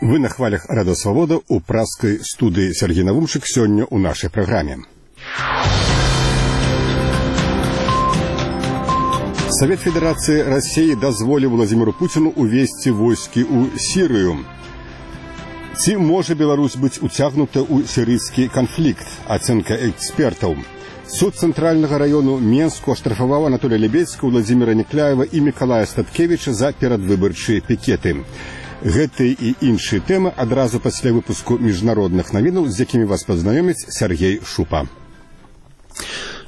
Вы на хвалях Радио Свобода у пражской студии Сергей Навумчик сегодня у нашей программе. Совет Федерации России дозволил Владимиру Путину увести войски у Сирию. Ці може Беларусь быть утягнута у сирийский конфликт? Оценка экспертов. Суд Центрального района Менску оштрафовал Анатолия Лебедского, Владимира Некляева и Миколая Статкевича за перадвыборчыя пикеты. Гэты і іншыя тэмы адразу пасля выпуску міжнародных навінаў, з якімі вас пазнаёміць Сергей Шупа.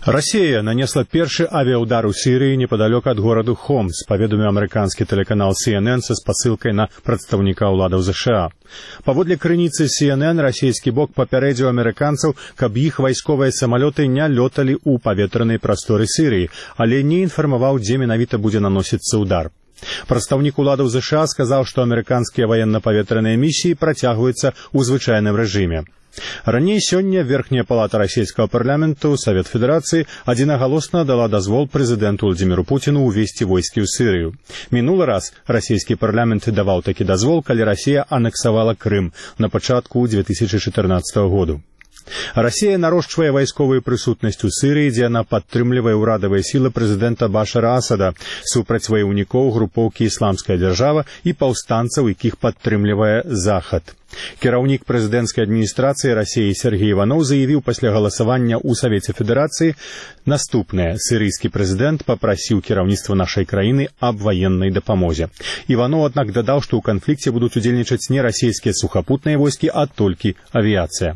Россия нанесла першы авиаудар у Сирии неподалеку от города Хомс, паведаміў американский телеканал CNN со спасылкай на прадстаўніка ўладаў США. Паводле крыніцы CNN, расійскі бок папярэдзіў амерыканцаў, каб іх вайсковыя самалёты не лёталі ў паветранай прасторы Сирии, але не інфармаваў, дзе менавіта будзе наносіцца удар. Прадстаўнік уладаў США сказаў, што амерыканскія ваенна-паветраныя місіі працягваюцца ў звычайным рэжыме. Раней сёння Верхняя палата расійскага парламенту, Совет Федерации, адзінагалосна дала дазвол прэзідэнту Владимиру Путину увести войскі ў Сірыю. Мінулы раз расійскі парламент даваў такі дазвол, калі Расія анексавала Крым на пачатку 2014 году. Россия нарошчвае вайсковую прысутнасць у Сирии, дзе яна падтрымлівае ўрадавыя сілы прэзідэнта Башара Асада супраць ваяўнікоў групоўкі «Ісламская дзяржава» і паўстанцаў, якіх падтрымлівае Захад. Кіраўнік прэзідэнцкай адміністрацыі России Сергей Иванов заявіў пасля галасавання ў Савеце Федэрацыі наступнае. Сірыйскі прэзідэнт папрасіў кіраўніцтва нашай краіны аб ваеннай дапамозе. Иванов, аднак, дадаў, што ў канфлікце будуць удзельнічаць не расійскія сухапутныя войскі, а толькі авіяцыя.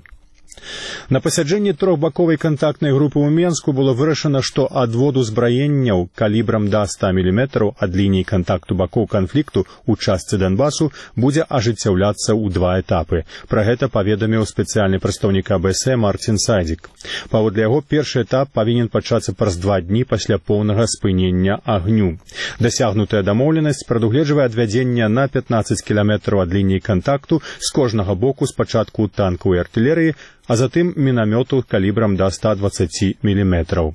На пасяджэнні трохбаковай кантактнай групы ў Менску было вырашана, што адвод узбраенняў калібрам да 100 мм ад лініі кантакту бакоў канфлікту ў частцы Донбасу будзе ажыццяўляцца ў два этапы. Пра гэта паведаміў спецыяльны прадстаўнік АБС Мартин Сайдзік. Паводле яго, першы этап павінен пачацца праз 2 дні пасля поўнага спынення агню. Дасягнутая дамоўленасць прадугледжвае адвядзенне на 15 кіламетраў ад лініі кантакту з кожнага боку спачатку танкаў і артылерыі, а затым мінамёту калібрам да 120 мм.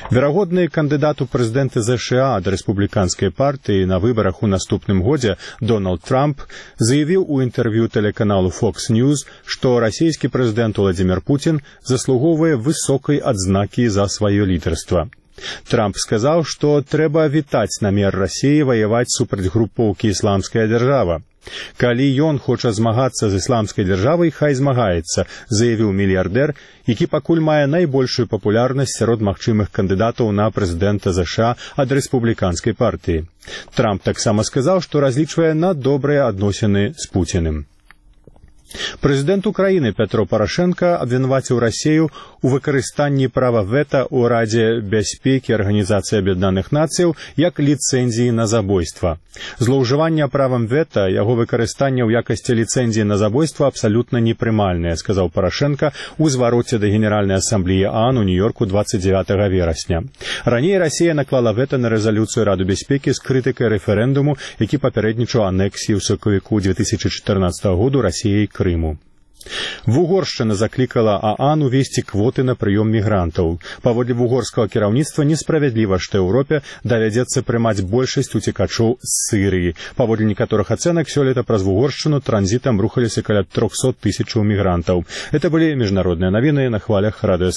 Верагодны кандыдат у прэзідэнты США ад рэспубліканскай партыі на выбарах у наступным годзе Дональд Трамп заявіў у інтэрв'ю тэлеканалу Fox News, што расійскі прэзідэнт Владимир Путин заслугоўвае высокай адзнакі за сваё лідарства. Трамп сказаў, што трэба вітаць намер Расіі ваяваць супраць групоўкі «Ісламская дзяржава». Калі ён хоча змагацца з ісламскай дзяржавай, хай змагаецца, заявіў мільярдэр, які пакуль мае найбольшую папулярнасць сярод магчымых кандыдатаў на прэзідэнта США ад рэспубліканскай партыі. Трамп таксама сказаў, што разлічвае на добрыя адносіны з Пуціным. Прэзідэнт Украіны Петро Порошенко абвінаваціў Расію у выкарыстанні права вета ў Радзе бяспекі Арганізацыі Аб'яднаных Нацыяў як ліцэнзіі на забойства. Злоўжыванне правам вета, яго выкарыстанне ў якасці ліцэнзіі на забойства абсалютна непрымальнае, сказаў Порошенко ў звароце да Генеральнай асамблеі ААН у Нью-Йорку 29 верасня. Раней Расія наклала вета на рэзалюцыю Рады бяспекі з крытыкай рэферэндуму, які папярэднічаў анексіі ў сакавіку 2014 году Расіяй Крыму. Вугоршчына заклікала ААН увесці квоты на прыём мігрантаў. Паводле вугорскага кіраўніцтва несправядліва, што Еўропе давядзецца прымаць большасць уцекачоў з Сірыі. Паводле некаторых ацэнак, сёлета праз Вугоршчыну транзітам рухаліся каля 300 000 мігрантаў. Это былі міжнародныя навіны на хвалях Радыё